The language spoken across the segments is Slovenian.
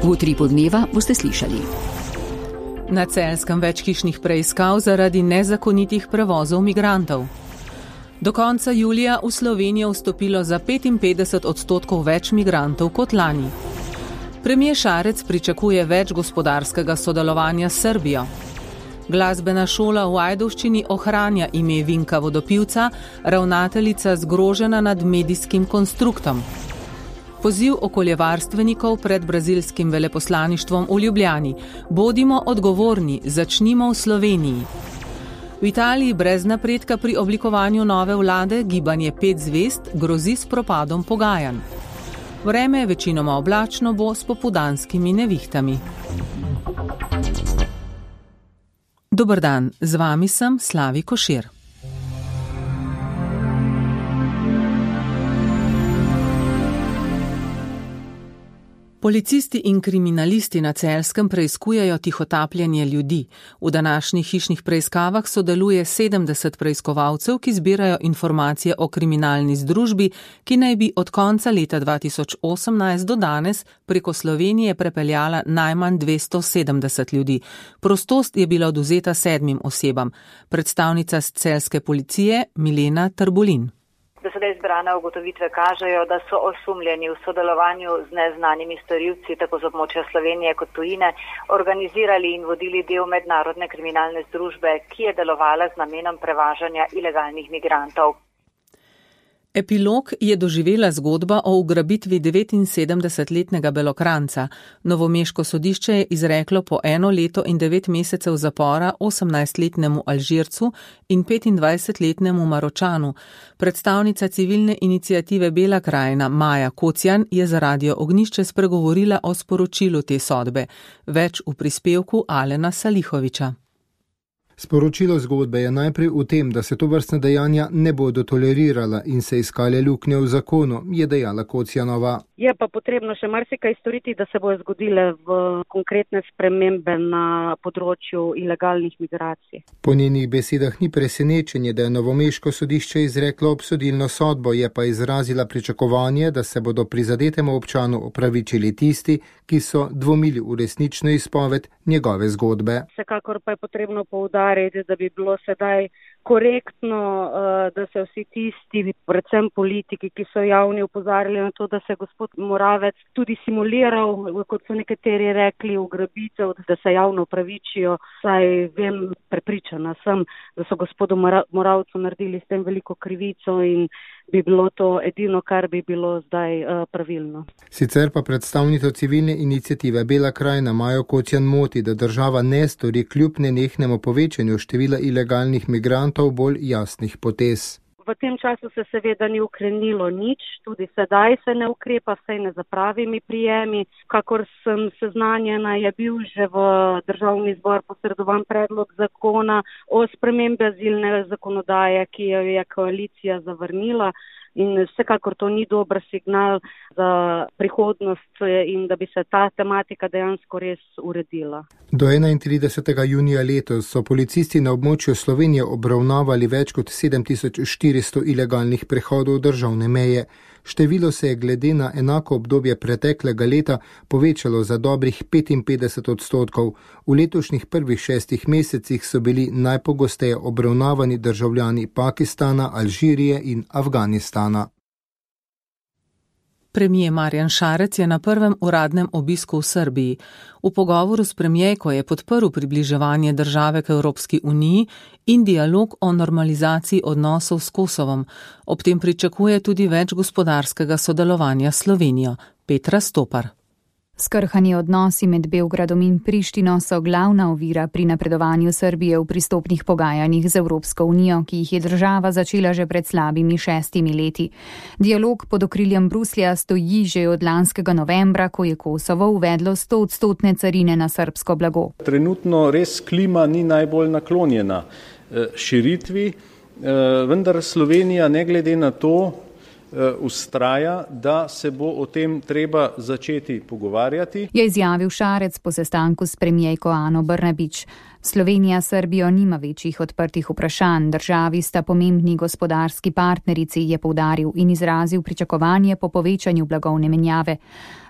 V Utripu dneva boste slišali. Na Celjskem več hišnih preiskav zaradi nezakonitih prevozov migrantov. Do konca julija v Slovenijo vstopilo za 55% več migrantov kot lani. Premier Šarec pričakuje več gospodarskega sodelovanja s Srbijo. Glasbena šola v Ajdovščini ohranja ime Vinka Vodopivca, ravnateljica zgrožena nad medijskim konstruktom. Poziv okoljevarstvenikov pred brazilskim veleposlaništvom v Ljubljani. Bodimo odgovorni, začnimo v Sloveniji. V Italiji brez napredka pri oblikovanju nove vlade gibanje 5 zvezd grozi s propadom pogajanj. Vreme večinoma oblačno bo s popoldanskimi nevihtami. Dober dan, z vami sem Slavi Košir. Policisti in kriminalisti na Celjskem preiskujejo tihotapljenje ljudi. V današnjih hišnih preiskavah sodeluje 70 preiskovalcev, ki zbirajo informacije o kriminalni združbi, ki naj bi od konca leta 2018 do danes preko Slovenije prepeljala najmanj 270 ljudi. Prostost je bila odvzeta 7 osebam. Predstavnica celjske policije Milena Trbulin. Do sedaj zbrane ugotovitve kažejo, da so osumljeni v sodelovanju z neznanimi storilci tako z območja Slovenije kot tujine organizirali in vodili del mednarodne kriminalne združbe, ki je delovala z namenom prevažanja ilegalnih migrantov. Epilog je doživela zgodba o ugrabitvi 79-letnega Belokranjca. Novomeško sodišče je izreklo po 1 leto in 9 mesecev zapora 18-letnemu Alžircu in 25-letnemu Maročanu. Predstavnica civilne iniciative Bela krajina Maja Kocjan je za Radio Ognjišče spregovorila o sporočilu te sodbe. Več v prispevku Alena Salihoviča. Sporočilo zgodbe je najprej v tem, da se tovrstne dejanja ne bodo tolerirala in se iskale luknje v zakonu, je dejala Kocjanova. Je pa potrebno še marsikaj storiti, da se bojo zgodile v konkretne spremembe na področju ilegalnih migracij. Po njenih besedah ni presenečenje, da je Novomeško sodišče izreklo obsodilno sodbo, je pa izrazila pričakovanje, da se bodo prizadetemu občanu opravičili tisti, ki so dvomili v resnično izpoved njegove zgodbe. Vsekakor pa je potrebno poudariti, da bi bilo sedaj korektno, da se vsi tisti, predvsem politiki, ki so javni opozarjali na to, da se gospod Moravec tudi simuliral, kot so nekateri rekli, ugrabitev, da se javno opravičijo. Saj vem, prepričana sem, da so gospodu Moravcu naredili s tem veliko krivico in bi bilo to edino, kar bi bilo zdaj pravilno. Sicer pa predstavnica civilne iniciative Bela krajina Majo Kocjan moti, da država ne stori kljub nenehnemu povečanju števila ilegalnih migrantov bolj jasnih potez. V tem času se seveda ni ukrenilo nič, tudi sedaj se ne ukrepa, vsaj ne za pravimi prijemi. Kakor sem seznanjena, je bil že v državni zbor posredovan predlog zakona o spremembi azilne zakonodaje, ki jo je koalicija zavrnila. In vsekakor to ni dober signal za prihodnost in da bi se ta tematika dejansko res uredila. Do 31. junija letos so policisti na območju Slovenije obravnavali več kot 7400 ilegalnih prehodov državne meje. Število se je glede na enako obdobje preteklega leta povečalo za dobrih 55%. V letošnjih prvih 6 mesecih so bili najpogosteje obravnavani državljani Pakistana, Alžirije in Afganistana. Premier Marjan Šarec je na prvem uradnem obisku v Srbiji. V pogovoru s premierko je podprl približevanje države k Evropski uniji in dialog o normalizaciji odnosov s Kosovom. Ob tem pričakuje tudi več gospodarskega sodelovanja s Slovenijo. Petra Stopar. Skrhani odnosi med Beogradom in Prištino so glavna ovira pri napredovanju Srbije v pristopnih pogajanjih z Evropsko unijo, ki jih je država začela že pred slabimi 6 leti. Dialog pod okriljem Bruslja stoji že od lanskega novembra, ko je Kosovo uvedlo 100% carine na srbsko blago. Trenutno res klima ni najbolj naklonjena širitvi, vendar Slovenija ne glede na to vztraja, da se bo o tem treba začeti pogovarjati. Je izjavil Šarec po sestanku s premijerko Ano Brnabić. Slovenija s Srbijo nima večjih odprtih vprašanj, državi sta pomembni gospodarski partnerici, je poudaril in izrazil pričakovanje po povečanju blagovne menjave.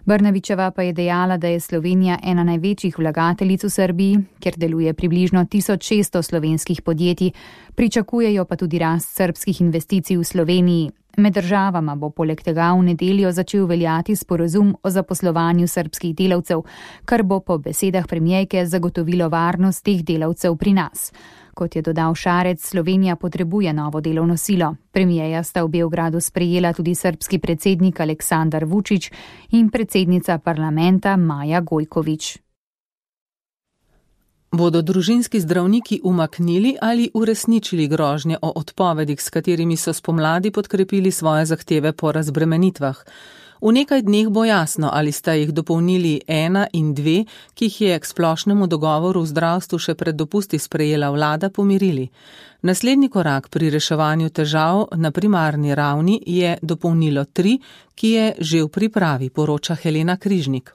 Brnabićeva pa je dejala, da je Slovenija ena največjih vlagateljic v Srbiji, kjer deluje približno 1600 slovenskih podjetij, pričakujejo pa tudi rast srbskih investicij v Sloveniji. Med državama bo poleg tega v nedeljo začel veljati sporazum o zaposlovanju srbskih delavcev, kar bo po besedah premierke zagotovilo varnost teh delavcev pri nas. Kot je dodal Šarec, Slovenija potrebuje novo delovno silo. Premierja sta v Beogradu sprejela tudi srbski predsednik Aleksandar Vučić in predsednica parlamenta Maja Gojković. Bodo družinski zdravniki umaknili ali uresničili grožnje o odpovedih, s katerimi so spomladi podkrepili svoje zahteve po razbremenitvah? V nekaj dneh bo jasno, ali sta jih dopolnili 1 in 2, ki jih je k splošnemu dogovoru v zdravstvu še pred dopusti sprejela vlada, pomirili. Naslednji korak pri reševanju težav na primarni ravni je dopolnilo 3, ki je že v pripravi, poroča Helena Križnik.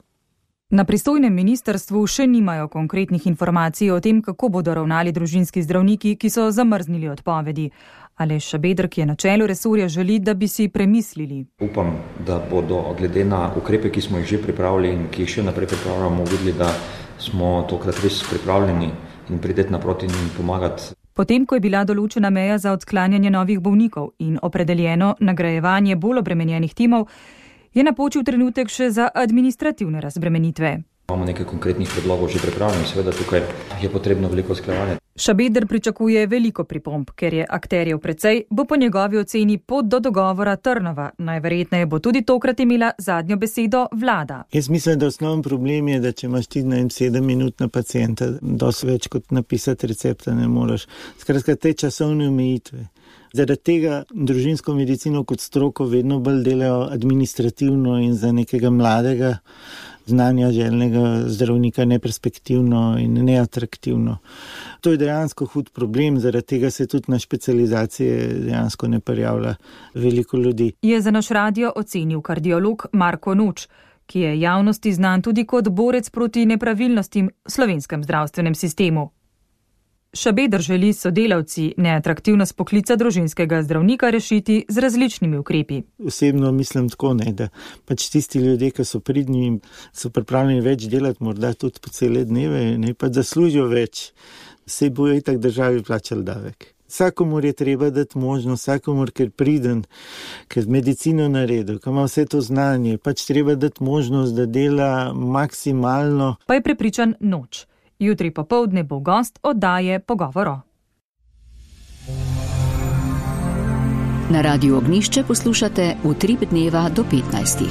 Na pristojnem ministrstvu še nimajo konkretnih informacij o tem, kako bodo ravnali družinski zdravniki, ki so zamrznili odpovedi. Aleš Šabeder, ki je na čelu resorja, želi, da bi si premislili. Upam, da bodo glede na ukrepe, ki smo jih že pripravili in ki jih še naprej pripravljamo, videli, da smo tokrat res pripravljeni in prideti naproti in pomagati. Potem, ko je bila določena meja za odklanjanje novih bolnikov in opredeljeno nagrajevanje bolj obremenjenih timov, je napočil trenutek še za administrativne razbremenitve. Imamo nekaj konkretnih predlogov že pripravljenih, seveda tukaj je potrebno veliko usklajevanja. Šabeder pričakuje veliko pripomb, ker je akterjev precej, bo po njegovi oceni pot do dogovora trnova. Najverjetneje bo tudi tokrat imela zadnjo besedo vlada. Jaz mislim, da osnoven problem je, da če imaš ti 7 minut na pacienta, dosti več kot napisati recepta ne moreš. Skratka, te časovne omejitve. Zaradi tega družinsko medicino kot stroko vedno bolj delajo administrativno in za nekega mladega, znanja željnega zdravnika neperspektivno in neatraktivno. To je dejansko hud problem, zaradi tega se tudi na specializacije dejansko ne prijavlja veliko ljudi. Je za naš radio ocenil kardiolog Marko Noč, ki je javnosti znan tudi kot borec proti nepravilnostim v slovenskem zdravstvenem sistemu. Šabeder želi sodelavci neatraktivnost poklica družinskega zdravnika rešiti z različnimi ukrepi. Osebno mislim tako, da pač tisti ljudje, ki so pridni in so pripravljeni več delati, morda tudi po cele dneve, ne pa zaslužijo več, se bojo itak državi plačali davek. Vsakomur je treba dati možnost, vsakomur, ker priden, ker medicino naredil, ker ima vse to znanje, pač treba dati možnost, da dela maksimalno. Pa je prepričan Noč. Jutri popoldne bo gost oddaje Pogovoro. Na Radiu Ognjišče poslušate Utrip dneva do 15.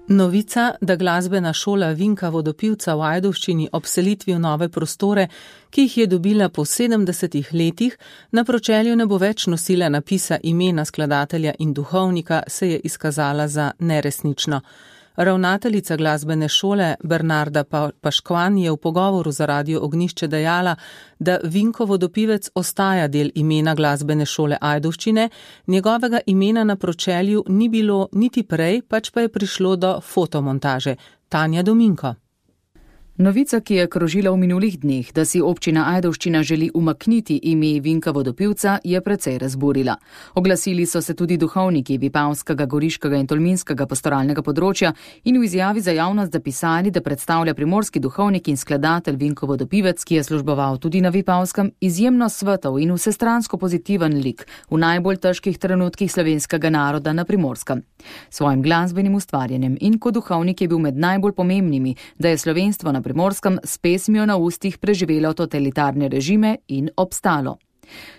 Novica, da glasbena šola Vinka Vodopivca v Ajdovščini ob selitvi v nove prostore, ki jih je dobila po 70 letih, na pročelju ne bo več nosila napisa imena skladatelja in duhovnika, se je izkazala za neresnično. Ravnateljica glasbene šole Bernarda Paškvan je v pogovoru za Radio Ognjišče dejala, da Vinko Vodopivec ostaja del imena glasbene šole Ajdovščine, njegovega imena na pročelju ni bilo niti prej, pač pa je prišlo do fotomontaže. Tanja Dominko. Novica, ki je krožila v minulih dneh, da si občina Ajdovščina želi umakniti ime Vinka Vodopivca, je precej razburila. Oglasili so se tudi duhovniki Vipavskega, Goriškega in Tolminskega pastoralnega področja in v izjavi za javnost zapisali, da predstavlja primorski duhovnik in skladatelj Vinko Vodopivec, ki je služboval tudi na Vipavskem, izjemno svetov in vsestransko pozitiven lik v najbolj težkih trenutkih slovenskega naroda na Primorskem. Svojim glasbenim ustvarjanjem in kot duhovnik je bil med najbolj pomembnimi, da je slovenstvo na Primorskem s pesmijo na ustih preživelo totalitarne režime in obstalo.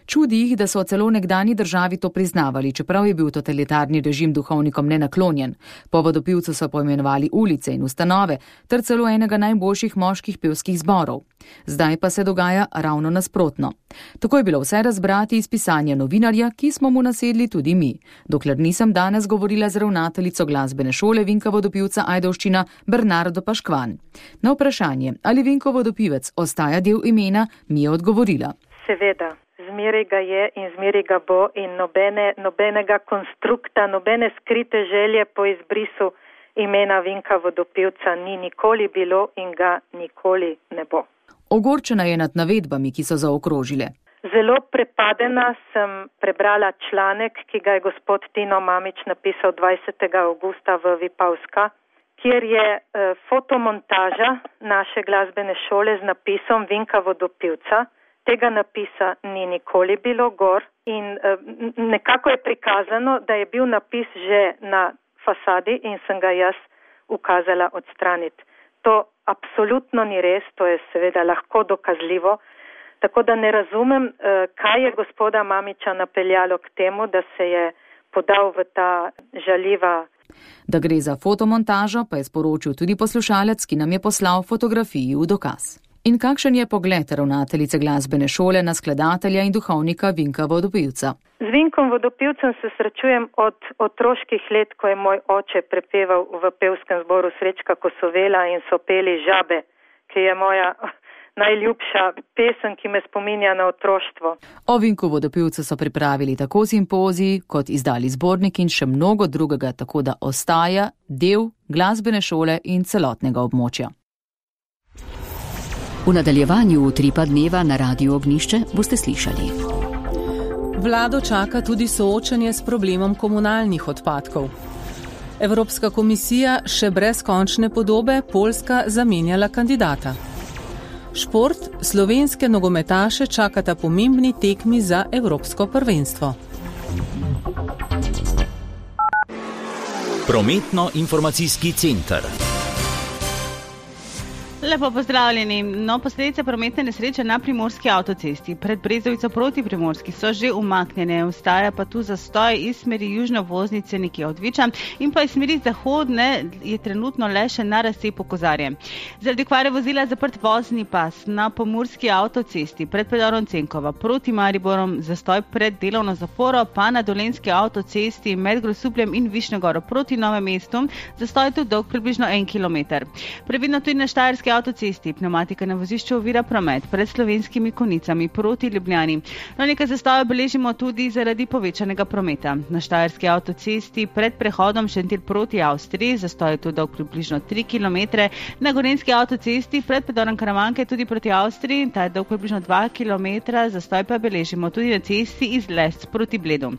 Čudi jih, da so celo nekdani državi to priznavali, čeprav je bil totalitarni režim duhovnikom nenaklonjen. Po Vodopivcu so poimenovali ulice in ustanove, ter celo enega najboljših moških pevskih zborov. Zdaj pa se dogaja ravno nasprotno. Tako je bilo vse razbrati iz pisanja novinarja, ki smo mu nasedli tudi mi, dokler nisem danes govorila z ravnateljico glasbene šole Vinka Vodopivca Ajdovščina Bernardo Paškvan. Na vprašanje, ali Vinko Vodopivec ostaja del imena, mi je odgovorila. Seveda. Zmeraj ga je in zmeraj ga bo in nobenega konstrukta, nobene skrite želje po izbrisu imena Vinka Vodopivca ni nikoli bilo in ga nikoli ne bo. Ogorčena je nad navedbami, ki so zaokrožile. Zelo prepadena sem prebrala članek, ki ga je gospod Tino Mamić napisal 20. augusta v Vipavska, kjer je fotomontaža naše glasbene šole z napisom Vinka Vodopivca. Tega napisa ni nikoli bilo gor in nekako je prikazano, da je bil napis že na fasadi in sem ga jaz ukazala odstraniti. To absolutno ni res, to je seveda lahko dokazljivo, tako da ne razumem, kaj je gospoda Mamića napeljalo k temu, da se je podal v ta žaljiva. Da gre za fotomontažo, pa je sporočil tudi poslušalec, ki nam je poslal fotografiji v dokaz. In kakšen je pogled ravnateljice glasbene šole na skladatelja in duhovnika Vinka Vodopivca? Z Vinkom Vodopivcem se srečujem od otroških let, ko je moj oče prepeval v pevskem zboru Srečka Kosovela in so peli Žabe, ki je moja najljubša pesem, ki me spominja na otroštvo. O Vinku Vodopivcu so pripravili tako simpozij, kot izdali zbornik in še mnogo drugega, tako da ostaja del glasbene šole in celotnega območja. V nadaljevanju Utripa dneva na Radiu Ognjišče boste slišali. Vlado čaka tudi soočanje s problemom komunalnih odpadkov. Evropska komisija še brez končne podobe Poljska zamenjala kandidata. Šport, slovenske nogometaše čakata pomembni tekmi za evropsko prvenstvo. Prometno-informacijski center. Lepo pozdravljeni. Posledice prometne nesreče na primorski avtocesti pred Brezovico proti Primorski so že umaknjene. Ostaja pa tu zastoj iz smeri južne obvoznice nekje od Viča in pa iz smeri zahodne je trenutno le še na razcepu Kozarje. Zaradi kvare vozila zaprt vozni pas na pomurski avtocesti pred predorom Cenkova proti Mariborom, zastoj pred delovno zaporo, pa na dolenski avtocesti med Grosupljem in Višnjegoro proti Novem mestu, zastoj tu dolg približno 1 kilometer. Previdno tudi na Štajerski avtocesti, pneumatika na vozišču ovira promet pred Slovenskimi Konicami proti Ljubljani. Nekaj zastojev beležimo tudi zaradi povečanega prometa. Na Štajerski avtocesti pred prehodom Šentilj proti Avstriji, zastoj je tu dolg približno 3 km. Na Gorenjski avtocesti pred predorom Karavanke tudi proti Avstriji, ta je dolg približno 2 km, zastoj pa beležimo tudi na cesti iz Lesc proti Bledu.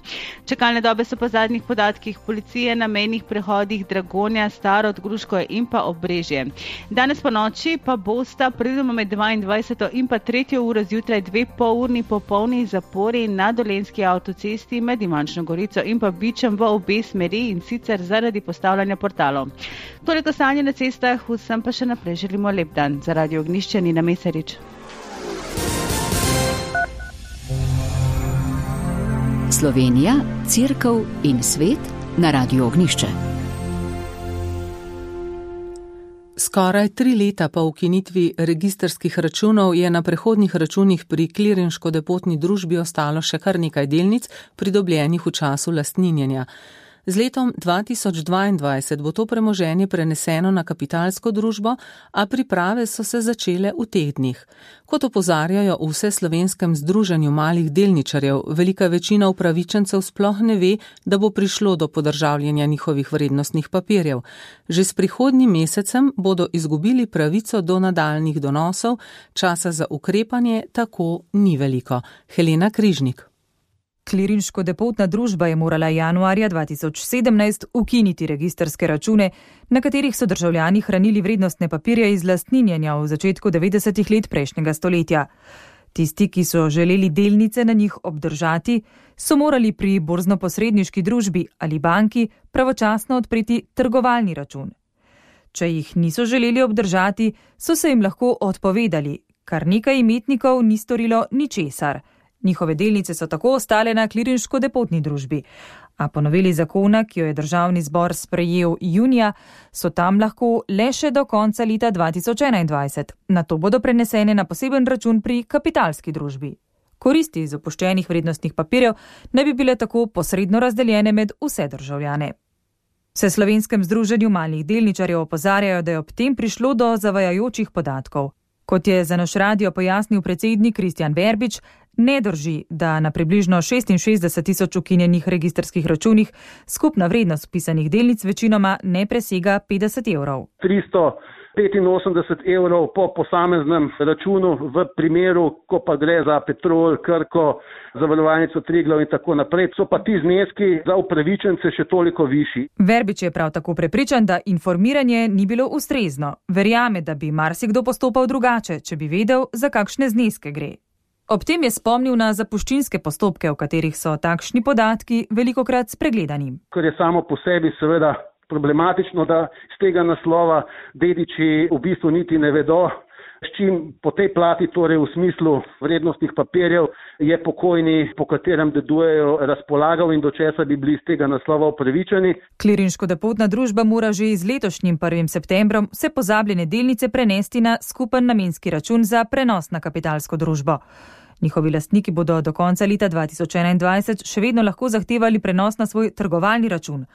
Čakalne dobe so po zadnjih podatkih policije na mejnih prehodih Dragonja, Starod, Gruško in pa Obrežje. Danes po noči pa bosta predvidoma med 22. in pa 3. uro zjutraj 2 polurni popolni zapori na dolenski avtocesti med Ivančno Gorico in pa Bičem v obe smeri in sicer zaradi postavljanja portalov. Toliko stanje na cestah, vsem pa še naprej želimo lep dan. Za Radio Ognjišče Nina Mesarič. Slovenija, Cerkev in svet na Radiu Ognjišče. Skoraj 3 leta po ukinitvi registrskih računov je na prehodnih računih pri klirinško-depotni družbi ostalo še kar nekaj delnic, pridobljenih v času lastninjenja. Z letom 2022 bo to premoženje preneseno na kapitalsko družbo, a priprave so se začele v teh dneh. Kot opozarjajo v Vseslovenskem združenju malih delničarjev, velika večina upravičencev sploh ne ve, da bo prišlo do podržavljanja njihovih vrednostnih papirjev. Že s prihodnjim mesecem bodo izgubili pravico do nadaljnjih donosov, časa za ukrepanje tako ni veliko. Helena Križnik. Klirinško-depotna družba je morala januarja 2017 ukiniti registrske račune, na katerih so državljani hranili vrednostne papirje iz lastninjenja v začetku 90. let prejšnjega stoletja. Tisti, ki so želeli delnice na njih obdržati, so morali pri borzno-posredniški družbi ali banki pravočasno odpreti trgovalni račun. Če jih niso želeli obdržati, so se jim lahko odpovedali, kar nekaj imetnikov ni storilo ničesar. Njihove delnice so tako ostale na klirinško-depotni družbi, a po noveli zakona, ki jo je državni zbor sprejel junija, so tam lahko le še do konca leta 2021. Nato bodo prenesene na poseben račun pri kapitalski družbi. Koristi iz opuščenih vrednostnih papirjev ne bi bile tako posredno razdeljene med vse državljane. V Vseslovenskem združenju malih delničarjev opozarjajo, da je ob tem prišlo do zavajajočih podatkov. Kot je za naš radio pojasnil predsednik Kristjan Verbič, Ne drži, da na približno 66 tisoč ukinjenih registrskih računih skupna vrednost vpisanih delnic večinoma ne presega 50 evrov. 385 evrov po posameznem računu v primeru, ko pa gre za Petrol, Krko, Zavarovalnico Triglav in tako naprej, so pa ti zneski za upravičence še toliko višji. Verbič je prav tako prepričan, da informiranje ni bilo ustrezno. Verjame, da bi marsikdo postopal drugače, če bi vedel, za kakšne zneske gre. Ob tem je spomnil na zapuščinske postopke, v katerih so takšni podatki velikokrat spregledani. Ker je samo po sebi seveda problematično, da z tega naslova dediči v bistvu niti ne vedo, s čim po tej plati, torej v smislu vrednostnih papirjev, je pokojni, po katerem dedujejo, razpolagal in do česa bi bili z tega naslova upravičeni. Klirinško depotna družba mora že z letošnjim 1. septembrom vse pozabljene delnice prenesti na skupen namenski račun za prenos na kapitalsko družbo. Njihovi lastniki bodo do konca leta 2021 še vedno lahko zahtevali prenos na svoj trgovalni račun,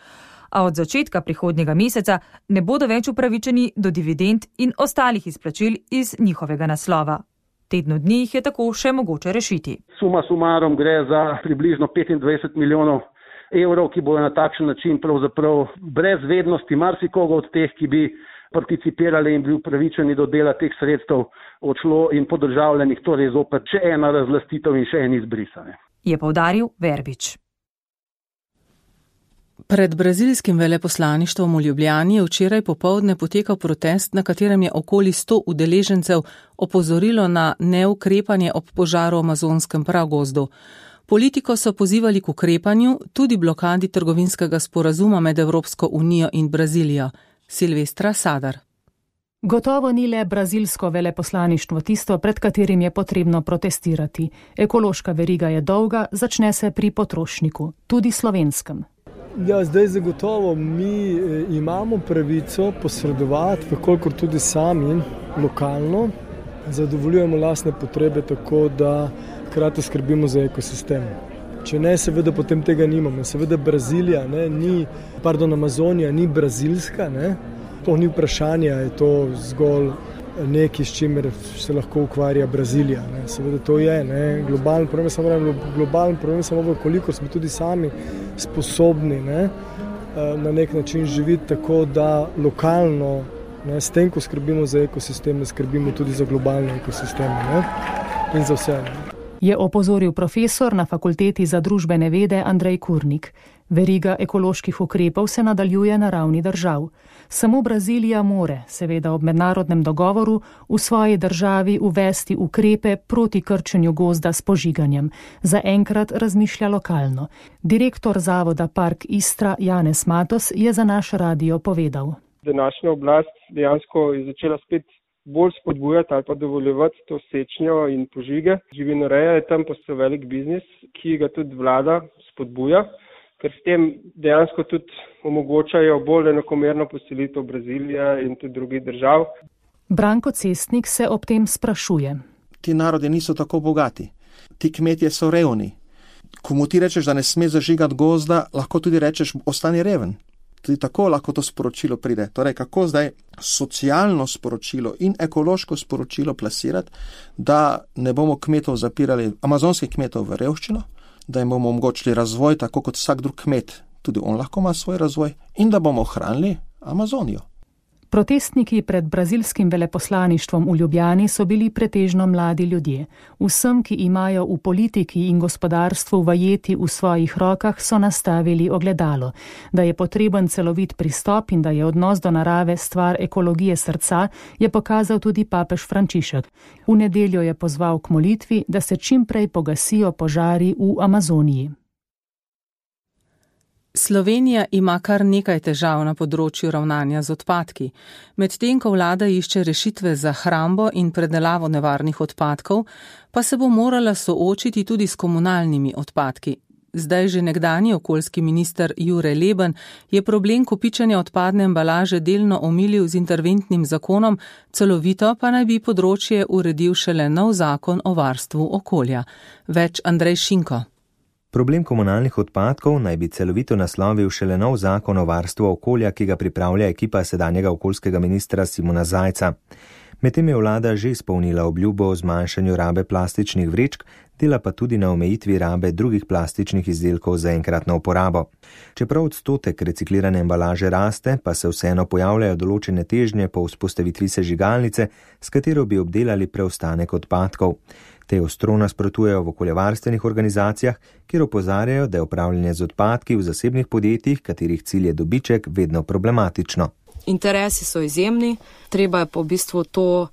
a od začetka prihodnjega meseca ne bodo več upravičeni do dividend in ostalih izplačil iz njihovega naslova. Tednu dni jih je tako še mogoče rešiti. Suma sumarom gre za približno 25 milijonov evrov, ki bodo na takšen način pravzaprav brez vednosti marsikoga od teh, ki bi participirali in bili upravičeni do dela teh sredstev, odšlo in podržavljenih, torej zopet še ena razlastitev in še en izbrisane. Je poudaril Verbič. Pred brazilskim veleposlaništvom v Ljubljani je včeraj popoldne potekal protest, na katerem je okoli 100 udeležencev opozorilo na neukrepanje ob požaru v amazonskem pragozdu. Politiko so pozivali k ukrepanju, tudi blokadi trgovinskega sporazuma med Evropsko unijo in Brazilijo. Silvestra Sadar. Gotovo ni le brazilsko veleposlaništvo tisto, pred katerim je potrebno protestirati. Ekološka veriga je dolga, začne se pri potrošniku, tudi slovenskem. Ja, zdaj zagotovo mi imamo pravico posredovati, kolikor tudi sami lokalno zadovoljujemo lastne potrebe tako, da hkrati skrbimo za ekosistem. Če ne, seveda potem tega nimamo. Seveda Brazilija, Amazonija ni brazilska, ne? To ni vprašanje, je to zgolj nekaj, s čimer se lahko ukvarja Brazilija. Ne? Seveda to je, ne? Globalni problem samo koliko smo tudi sami sposobni, ne? Na nek način živeti tako, da lokalno, ne? S tem, ko skrbimo za ekosisteme, skrbimo tudi za globalne ekosisteme, ne? In za vse. Ne? Je opozoril profesor na Fakulteti za družbene vede Andrej Kurnik. Veriga ekoloških ukrepov se nadaljuje na ravni držav. Samo Brazilija more, seveda ob mednarodnem dogovoru, v svoji državi uvesti ukrepe proti krčenju gozda s požiganjem. Zaenkrat razmišlja lokalno. Direktor zavoda Park Istra Janez Matos je za naš radio povedal. Današnja oblast dejansko je začela spet bolj spodbujati ali pa dovoljevati to sečnjo in požige. Živinoreja je tam postal velik biznis, ki ga tudi vlada spodbuja, ker s tem dejansko tudi omogočajo bolj enakomerno poselitev Brazilije in tudi drugih držav. Branko Cestnik se ob tem sprašuje. Ti narodi niso tako bogati, ti kmetje so revni. Komu ti rečeš, da ne sme zažigati gozda, lahko tudi rečeš, ostani reven. Tudi tako lahko to sporočilo pride. Torej, kako zdaj socialno sporočilo in ekološko sporočilo plasirati, da ne bomo kmetov zapirali, amazonskih kmetov v revščino, da jim bomo omogočili razvoj, tako kot vsak drug kmet, tudi on lahko ima svoj razvoj, in da bomo ohranili Amazonijo. Protestniki pred brazilskim veleposlaništvom v Ljubljani so bili pretežno mladi ljudje. Vsem, ki imajo v politiki in gospodarstvu vajeti v svojih rokah, so nastavili ogledalo. Da je potreben celovit pristop in da je odnos do narave stvar ekologije srca, je pokazal tudi papež Frančišek. V nedeljo je pozval k molitvi, da se čim prej pogasijo požari v Amazoniji. Slovenija ima kar nekaj težav na področju ravnanja z odpadki. Medtem ko vlada išče rešitve za hrambo in predelavo nevarnih odpadkov, pa se bo morala soočiti tudi s komunalnimi odpadki. Zdaj že nekdanji okoljski minister Jure Leben je problem kopičenja odpadne embalaže delno omilil z interventnim zakonom, celovito pa naj bi področje uredil šele nov zakon o varstvu okolja. Več Andrej Šinko. Problem komunalnih odpadkov naj bi celovito naslovil šele nov zakon o varstvu okolja, ki ga pripravlja ekipa sedanjega okoljskega ministra Simona Zajca. Medtem je vlada že izpolnila obljubo o zmanjšanju rabe plastičnih vrečk dela pa tudi na omejitvi rabe drugih plastičnih izdelkov za enkratno uporabo. Čeprav odstotek reciklirane embalaže raste, pa se vseeno pojavljajo določene težnje po vzpostavitvi sežigalnice, s katero bi obdelali preostanek odpadkov. Te ostro nasprotujejo v okoljevarstvenih organizacijah, kjer opozarjajo, da je upravljanje z odpadki v zasebnih podjetjih, katerih cilj je dobiček, vedno problematično. Interesi so izjemni, treba je pa v bistvu to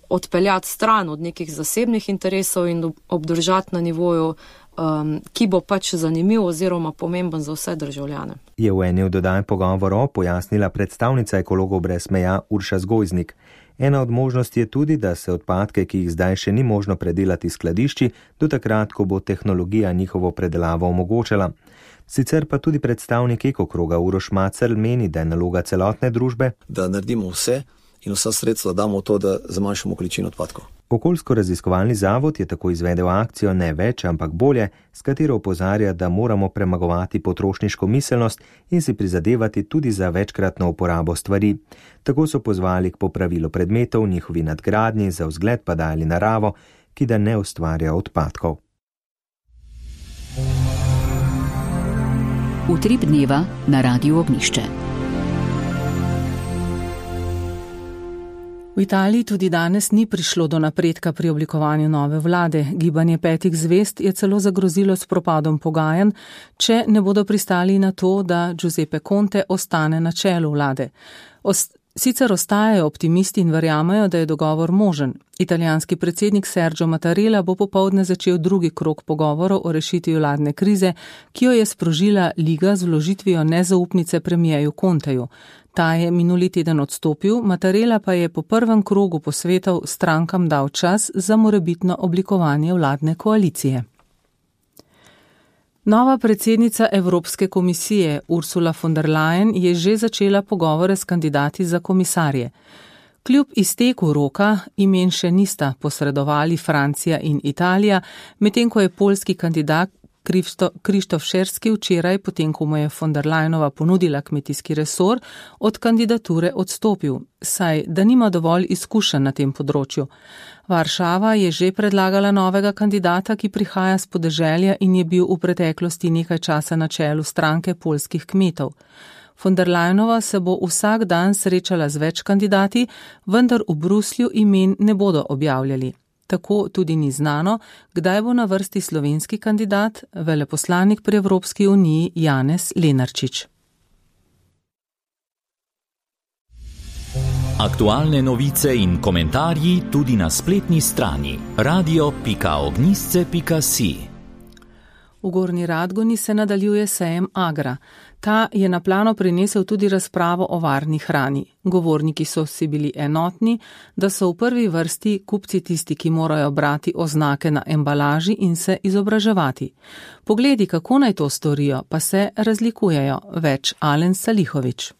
odpeljati stran od nekih zasebnih interesov in obdržati na nivoju, ki bo pač zanimiv oziroma pomemben za vse državljane. Je v eni od oddaj pogovorov pojasnila predstavnica Ekologov brez meja Urša Zgojznik. Ena od možnosti je tudi, da se odpadke, ki jih zdaj še ni možno predelati skladišči, do takrat, ko bo tehnologija njihovo predelavo omogočala. Sicer pa tudi predstavnik Ekokroga Uroš Macerl meni, da je naloga celotne družbe, da naredimo vse in vsa sredstva damo v to, da zmanjšamo količino odpadkov. Okoljsko-raziskovalni zavod je tako izvedel akcijo Ne več, ampak bolje, s katero opozarja, da moramo premagovati potrošniško miselnost in si prizadevati tudi za večkratno uporabo stvari. Tako so pozvali k popravilu predmetov, njihovi nadgradnji, za vzgled pa dali naravo, ki da ne ustvarja odpadkov. Utrip dneva na Radiu Ognišče. V Italiji tudi danes ni prišlo do napredka pri oblikovanju nove vlade. Gibanje petih zvezd je celo zagrozilo s propadom pogajanj, če ne bodo pristali na to, da Giuseppe Conte ostane na čelu vlade. Sicer ostajajo optimisti in verjamejo, da je dogovor možen. Italijanski predsednik Sergio Mattarella bo popoldne začel drugi krog pogovorov o rešitvi vladne krize, ki jo je sprožila Liga z vložitvijo nezaupnice premijeju Conteju. Ta je minuli teden odstopil, Mattarella pa je po prvem krogu posvetov strankam dal čas za morebitno oblikovanje vladne koalicije. Nova predsednica Evropske komisije Ursula von der Leyen je že začela pogovore s kandidati za komisarje. Kljub izteku roka imen še nista posredovali Francija in Italija, medtem ko je poljski kandidat Krištof Šerski včeraj, potem ko mu je von der Leyenova ponudila kmetijski resor, od kandidature odstopil, saj da nima dovolj izkušenj na tem področju. Varšava je že predlagala novega kandidata, ki prihaja s podeželja in je bil v preteklosti nekaj časa na čelu stranke poljskih kmetov. Von der Leyenova se bo vsak dan srečala z več kandidati, vendar v Bruslju imen ne bodo objavljali. Tako tudi ni znano, kdaj bo na vrsti slovenski kandidat, veleposlanik pri Evropski uniji Janez Lenarčič. Aktualne novice in komentarji tudi na spletni strani radio.ognisce.si. V Gornji Radgoni se nadaljuje sejem Agra. Ta je na plano prinesel tudi razpravo o varni hrani. Govorniki so si bili enotni, da so v prvi vrsti kupci tisti, ki morajo brati oznake na embalaži in se izobraževati. Pogledi, kako naj to storijo, pa se razlikujejo. Več Alen Salihovič.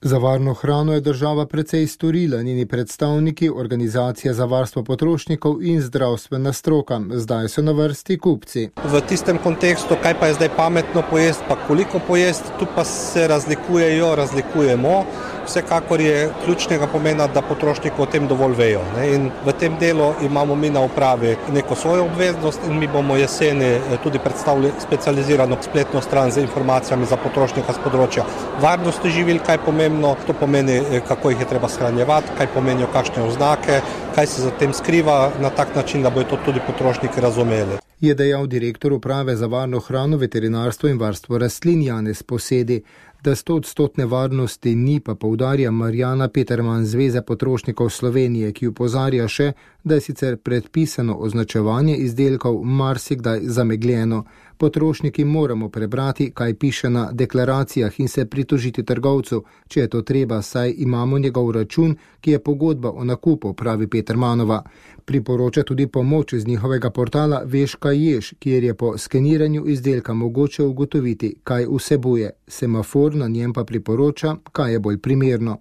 Za varno hrano je država precej storila, njeni predstavniki, organizacija za varstvo potrošnikov in zdravstvena stroka. Zdaj so na vrsti kupci. V tistem kontekstu, kaj pa je zdaj pametno pojesti, pa koliko pojesti, tu pa se razlikujemo. Vsekakor je ključnega pomena, da potrošniki o tem dovolj vejo. In v tem delu imamo mi na upravi neko svojo obveznost in mi bomo jeseni tudi predstavili specializirano spletno stran z informacijami za potrošnika z področja varnosti živil, kaj pomembno, to pomeni, kako jih je treba shranjevati, kaj pomenijo kakšne oznake, kaj se za tem skriva na tak način, da bodo to tudi potrošniki razumeli. Je dejal direktor uprave za varno hrano, veterinarstvo in varstvo rastlin Janez Posedi. Da 100% varnosti ni, pa poudarja Marjana Peterman Zveze potrošnikov Slovenije, ki opozarja še, da je sicer predpisano označevanje izdelkov marsikdaj zamegljeno. Potrošniki moramo prebrati, kaj piše na deklaracijah in se pritožiti trgovcu, če je to treba, saj imamo njegov račun, ki je pogodba o nakupu, pravi Petermanova. Priporoča tudi pomoč iz njihovega portala Veš, kaj ješ, kjer je po skeniranju izdelka mogoče ugotoviti, kaj vsebuje. Semafor na njem pa priporoča, kaj je bolj primerno.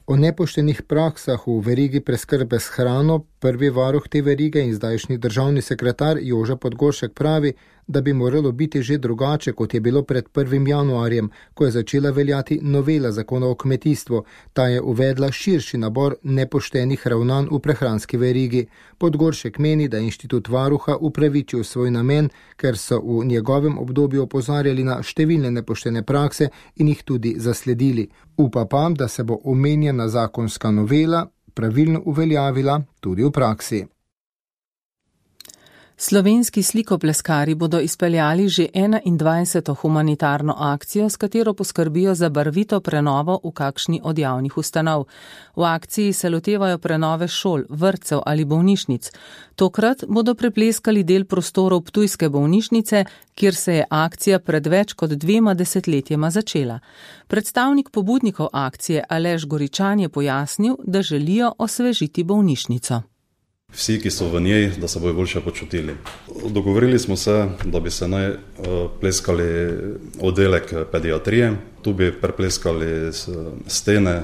O nepoštenih praksah v verigi preskrbe s hrano prvi varuh te verige in zdajšnji državni sekretar Joža Podgoršek pravi, da bi moralo biti že drugače, kot je bilo pred 1. januarjem, ko je začela veljati novela zakona o kmetijstvu. Ta je uvedla širši nabor nepoštenih ravnanj v prehranski verigi. Podgoršek meni, da inštitut varuha upravičil svoj namen, ker so v njegovem obdobju opozarjali na številne nepoštene prakse in jih tudi zasledili. Upa pa, da se bo omenjena zakonska novela pravilno uveljavila tudi v praksi. Slovenski slikopleskari bodo izpeljali že 21. humanitarno akcijo, s katero poskrbijo za barvito prenovo v kakšni od javnih ustanov. V akciji se lotevajo prenove šol, vrtcev ali bolnišnic. Tokrat bodo prepleskali del prostorov ptujske bolnišnice, kjer se je akcija pred več kot 2 desetletjema začela. Predstavnik pobudnikov akcije Aleš Goričan je pojasnil, da želijo osvežiti bolnišnico. Vsi, ki so v njej, da se bojo boljše počutili. Dogovorili smo se, da bi se naj pleskali oddelek pediatrije. Tu bi prepleskali stene,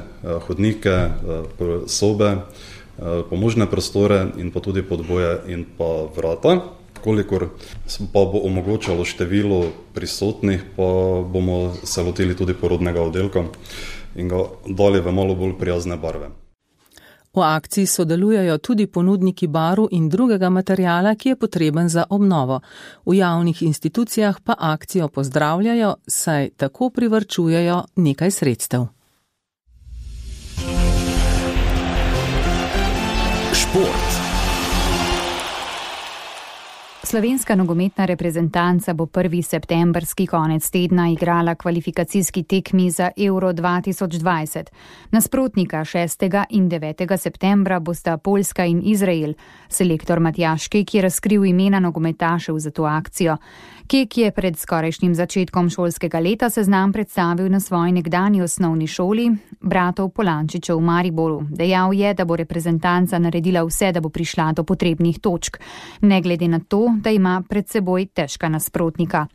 hodnike, sobe, pomožne prostore in pa tudi podboje in pa vrata. Kolikor pa bo omogočalo število prisotnih, pa bomo se lotili tudi porodnega oddelka in ga dali v malo bolj prijazne barve. V akciji sodelujejo tudi ponudniki barv in drugega materijala, ki je potreben za obnovo. V javnih institucijah pa akcijo pozdravljajo, saj tako privarčujejo nekaj sredstev. Šport. Slovenska nogometna reprezentanca bo 1. septembrski konec tedna igrala kvalifikacijski tekmi za Euro 2020. Nasprotnika 6. in 9. septembra bosta Poljska in Izrael. Selektor Matjaž Kek je razkril imena nogometašev za to akcijo. Kek je pred skorajšnjim začetkom šolskega leta seznam predstavil na svoji nekdanji osnovni šoli bratov Polančičev v Mariboru. Dejal je, da bo reprezentanca naredila vse, da bo prišla do potrebnih točk, ne glede na to, da ima pred seboj težka nasprotnika.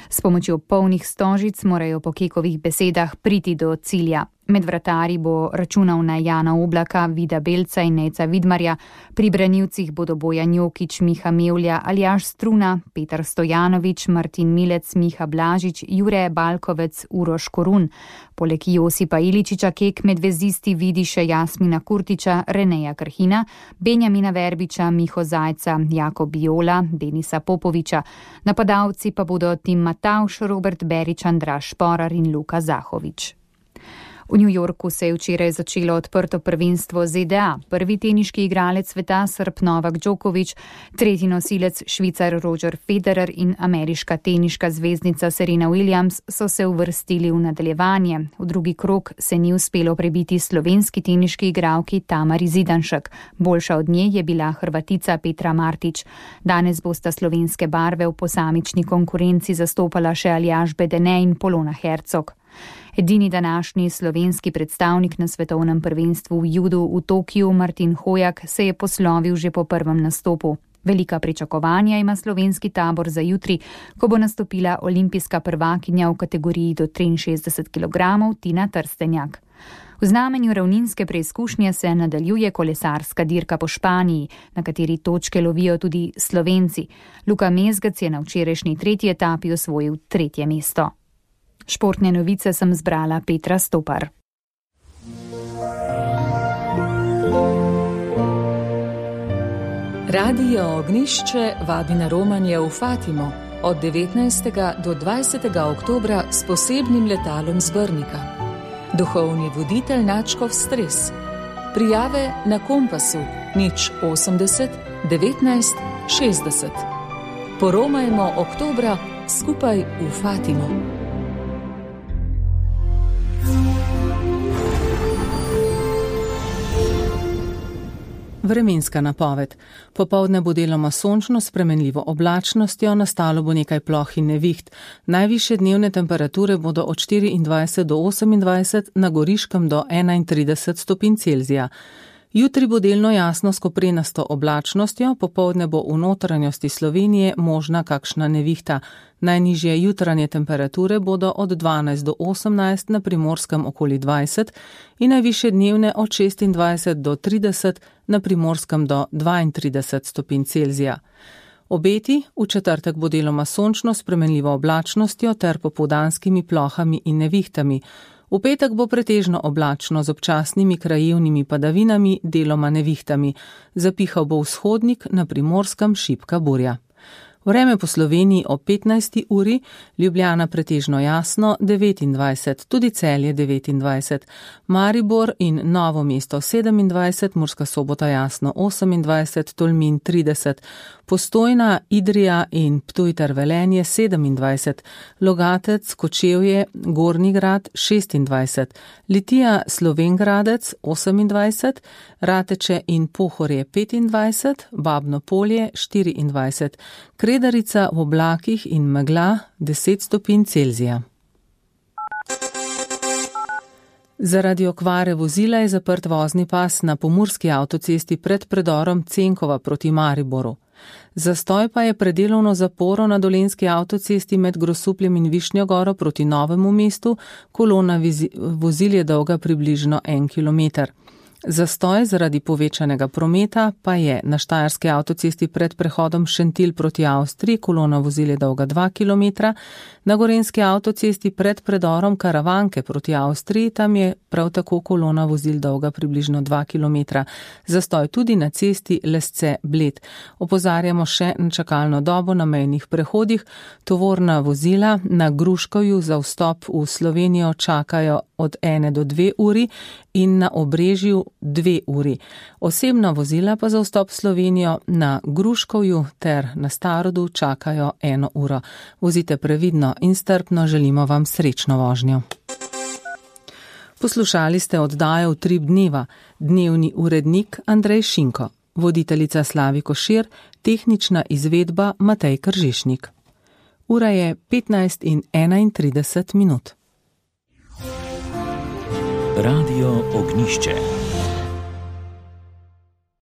S pomočjo polnih stožic morajo po Kekovih besedah priti do cilja. Med vratarji bo računal na Jana Oblaka, Vida Belca in Neca Vidmarja, pri branilcih bodo Bojan Jokić, Miha Mevlja, Aljaž Struna, Petar Stojanović, Martin Milec, Miha Blažič, Jure Balkovec, Uroš Korun. Poleg Josipa Iličiča Kek med vezisti vidi še Jasmina Kurtiča, Reneja Krhina, Benjamina Verbiča, Miho Zajca, Jakob Jola, Denisa Popoviča. Napadalci pa bodo Tim Matavš, Robert Berič, Andraž Šporar in Luka Zahovič. V New Yorku se je včeraj začelo odprto prvenstvo ZDA. Prvi teniški igralec sveta Srb Novak Djokovic, tretji nosilec Švicar Roger Federer in ameriška teniška zvezdnica Serena Williams so se uvrstili v nadaljevanje. V drugi krog se ni uspelo prebiti slovenski teniški igralki Tamari Zidanšek. Boljša od nje je bila Hrvatica Petra Martić. Danes bosta slovenske barve v posamični konkurenci zastopala še Aljaž Bedene in Polona Hercog. Edini današnji slovenski predstavnik na svetovnem prvenstvu v judu v Tokiju, Martin Hojak, se je poslovil že po prvem nastopu. Velika pričakovanja ima slovenski tabor za jutri, ko bo nastopila olimpijska prvakinja v kategoriji do 63 kg Tina Trstenjak. V znamenju ravninske preizkušnje se nadaljuje kolesarska dirka po Španiji, na kateri točke lovijo tudi Slovenci. Luka Mezgec je na včerajšnji 3. etapi osvojil 3. mesto. Športne novice sem zbrala Petra Stopar. Radio Ognišče vabi na romanje v Fatimo od 19. do 20. oktobra s posebnim letalom z Brnika. Duhovni voditelj Načkov Stres. Prijave na Kompasu 080 19 60. Poromajmo oktobra skupaj v Fatimo. Vremenska napoved. Popoldne bo deloma sončno s spremenljivo oblačnostjo, nastalo bo nekaj ploh in neviht. Najvišje dnevne temperature bodo od 24 do 28, na Goriškem do 31 stopinj Celzija. Jutri bo delno jasno s koprenasto oblačnostjo, popoldne bo v notranjosti Slovenije možna kakšna nevihta. Najnižje jutranje temperature bodo od 12 do 18, na Primorskem okoli 20 in najvišje dnevne od 26 do 30, na Primorskem do 32 stopinj Celzija. Obeti: v četrtek bo deloma sončno s spremenljivo oblačnostjo ter popoldanskimi plohami in nevihtami. V petek bo pretežno oblačno z občasnimi krajevnimi padavinami, deloma nevihtami. Zapihal bo vzhodnik, na Primorskem šibka burja. Vreme po Sloveniji ob 15. uri, Ljubljana pretežno jasno 29, tudi Celje 29, Maribor in Novo mesto 27, Murska Sobota jasno 28, Tolmin 30, Postojna, Idrija in Ptuj ter Velenje 27, Logatec, Kočevje, Gornji Grad 26, Litija, Slovengradec 28, Rateče in Pohorje 25, Babno Polje 24, Kredarica v oblakih in megla 10 stopinj Celzija. Zaradi okvare vozila je zaprt vozni pas na pomurski avtocesti pred predorom Cenkova proti Mariboru. Zastoj pa je predelovno zaporo na dolenski avtocesti med Grosupljem in Višnjo Goro proti Novemu mestu, kolona vozil je dolga približno 1 kilometer. Zastoj zaradi povečanega prometa pa je na Štajerski avtocesti pred prehodom Šentilj proti Avstriji, kolona vozil je dolga 2 km, na Gorenjski avtocesti pred predorom Karavanke proti Avstriji, tam je prav tako kolona vozil dolga približno 2 km. Zastoj tudi na cesti Lesce-Bled. Opozarjamo še na čakalno dobo na mejnih prehodih. Tovorna vozila na Gruškovju za vstop v Slovenijo čakajo od 1 do 2 uri in na Obrežju 2 uri. Osebna vozila pa za vstop v Slovenijo na Gruškovju ter na Starodu čakajo 1 uro. Vozite previdno in strpno, želimo vam srečno vožnjo. Poslušali ste oddajo Utrip dneva, dnevni urednik Andrej Šinko, voditeljica Slavi Košir, tehnična izvedba Matej Kržišnik. Ura je 15:31. Radio Ognišče.